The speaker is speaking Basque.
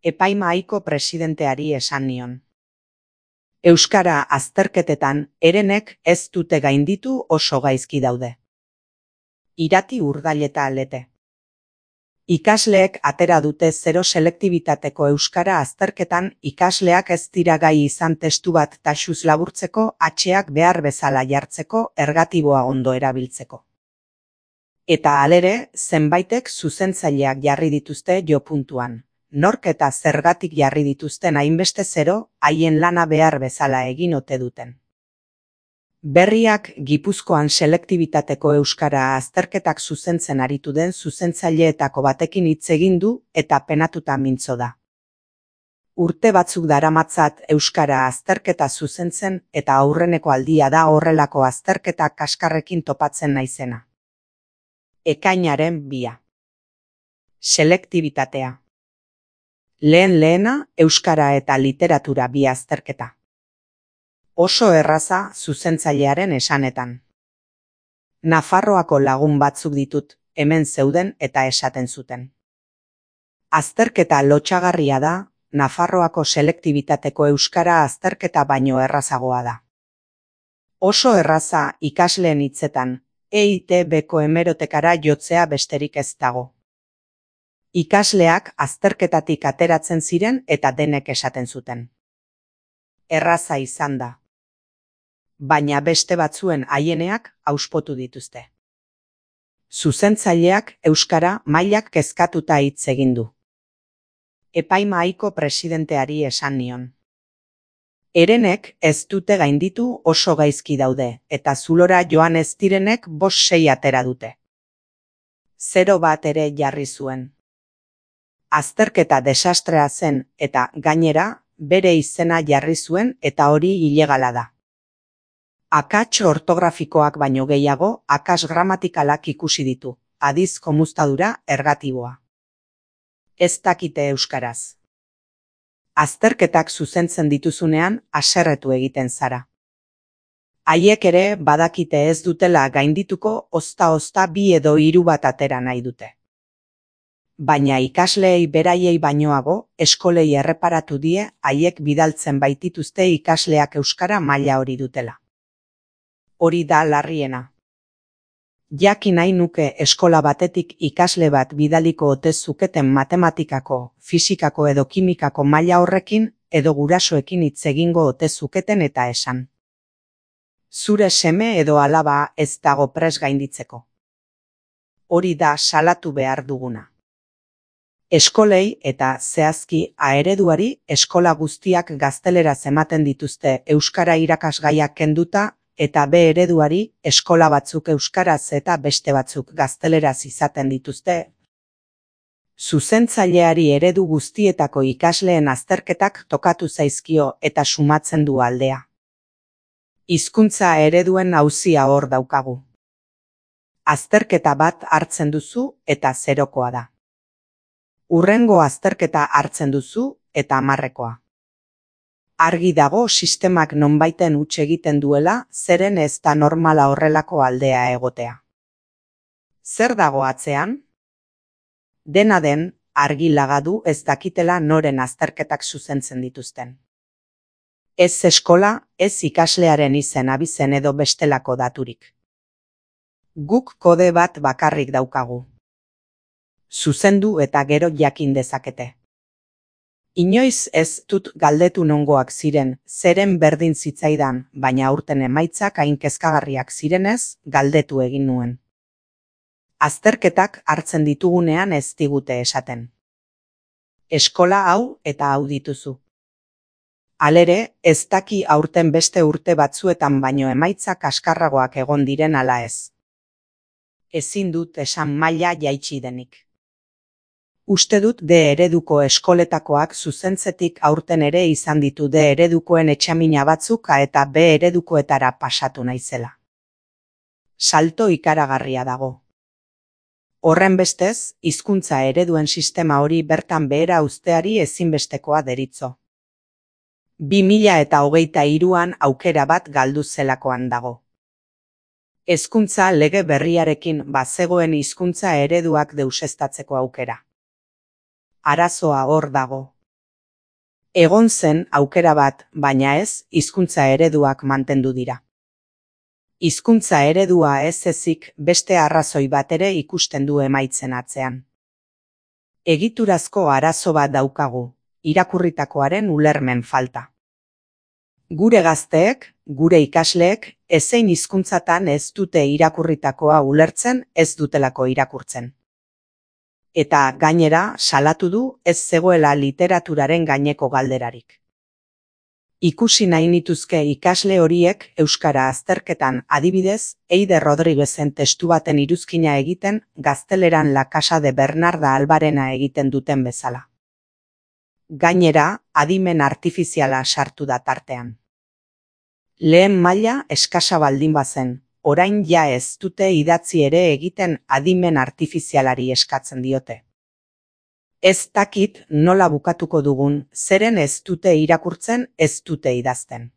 Epaimahaiko presidenteari esan nion. Euskara azterketetan Herenek ez dute gainditu oso gaizki daude. Irati Urdaileta Lete. Ikasleek atera dute zero selektibitateko euskara azterketan ikasleak ez dira gai izan testu bat taxuz laburtzeko hatxeak behar bezala jartzeko ergatiboa ondo erabiltzeko. Eta halere, zenbaitek zuzentzaileak jarri dituzte jo puntuan. Nork eta zergatik jarri dituzten hainbeste zero, haien lana behar bezala egin ote duten. Berriak Gipuzkoan selektibitateko euskara azterketak zuzentzen aritu den zuzentzaileetako batekin hitz egin du eta penatuta mintzo da. Urte batzuk daramatzat euskara azterketa zuzentzen eta aurreneko aldia da horrelako azterketa kaskarrekin topatzen naizena. Ekainaren 2. Selektibitatea. Lehena, euskara eta literatura bi azterketa. Oso erraza zuzentzailearen esanetan. Nafarroako lagun batzuk ditut, hemen zeuden eta esaten zuten. Azterketa lotsagarria da, Nafarroako selektibitateko euskara azterketa baino errazagoa da. Oso erraza ikasleen hitzetan, EITB-ko hemerotekara jotzea besterik ez dago. Ikasleak azterketatik ateratzen ziren eta denek esaten zuten. Erraza izan da. Baina beste batzuen haieneak auspotu dituzte. Zuzentzaileak euskara mailak kezkatuta hitz egin du. Epaimahaiko presidenteari esan nion. Herenek ez dute gainditu oso gaizki daude eta zulora joan ez direnek 5-6 atera dute. 0 bat ere jarri zuen. Azterketa desastrea zen eta gainera bere izena jarri zuen eta hori ilegala da. Akats ortografikoak baino gehiago akats gramatikalak ikusi ditu, adiz komuztadura ergatiboa. Ez dakite euskaraz. Azterketak zuzentzen dituzunean haserretu egiten zara. Haiek ere badakite ez dutela gaindituko ozta-ozta 2 edo 3 bat atera nahi dute. Baina ikasleei beraiei bainoago, eskolei erreparatu die haiek bidaltzen baitituzte ikasleak euskara maila hori dutela. Hori da larriena. Jakin nahi nuke eskola batetik ikasle bat bidaliko ote zuketen matematikako, fisikako edo kimikako maila horrekin edo gurasoekin hitz egingo ote zuketen eta esan. Zure seme edo alaba ez dago prest gainditzeko. Hori da salatu behar duguna. Eskolei eta zehazki A-ereduari eskola guztiak gazteleraz ematen dituzte euskara irakasgaiak kenduta eta B-ereduari eskola batzuk euskaraz eta beste batzuk gazteleraz izaten dituzte. Zuzentzaileari eredu guztietako ikasleen azterketak tokatu zaizkio eta sumatzen du aldea. Hizkuntza ereduen auzia hor daukagu. Azterketa bat hartzen duzu eta 0koa da. Hurrengo azterketa hartzen duzu eta 10koa. Argi dago sistemak nonbaiten huts egiten duela, zeren ez da normala horrelako aldea egotea. Zer dago atzean? Dena den, argi lagadu ez dakitela noren azterketak zuzentzen dituzten. Ez eskola, ez ikaslearen izen abizen edo bestelako daturik. Guk kode bat bakarrik daukagu. Zuzendu eta gero jakin dezakete. Inoiz ez dut galdetu nongoak ziren, zeren berdin zitzaidan, baina aurten emaitzak hain kezkagarriak zirenez, galdetu egin nuen. Azterketak hartzen ditugunean ez digute esaten. Eskola hau eta hau dituzu. Halere, ez daki aurten beste urte batzuetan baino emaitzak kaskarragoak egon diren ala ez. Ezin dut esan maila jaitsi denik. Uste dut D-ereduko eskoletakoak zuzentzetik aurten ere izan ditu D-eredukoen etxamina batzuk eta B-eredukoetara pasatu naizela. Salto ikaragarria dago. Horren bestez, hizkuntza ereduen sistema hori bertan behera uzteari ezinbestekoa deritzo. 2023an aukera bat galdu zelakoan dago. Hezkuntza lege berriarekin bazegoen hizkuntza ereduak deuseztatzeko aukera. Arazoa hor dago. Egon zen aukera bat, baina ez, hizkuntza ereduak mantendu dira. Hizkuntza eredua ez ezik beste arrazoi bat ere ikusten du emaitzen atzean. Egiturazko arazo bat daukagu, irakurritakoaren ulermen falta. Gure gazteek, gure ikasleek, ezein hizkuntzatan ez dute irakurritakoa ulertzen, ez dutelako irakurtzen. Eta gainera, salatu du ez zegoela literaturaren gaineko galderarik. Ikusi nahi nituzke ikasle horiek euskara azterketan adibidez, Eider Rodriguezen testu baten iruzkina egiten gazteleran La Casa de Bernarda Albarena egiten duten bezala. Gainera, adimen artifiziala sartu da tartean. Lehen maila eskasa baldin bazen, orain ja ez dute idatzi ere egiten adimen artifizialari eskatzen diote. Ez dakit nola bukatuko dugun, zeren ez dute irakurtzen, ez dute idazten.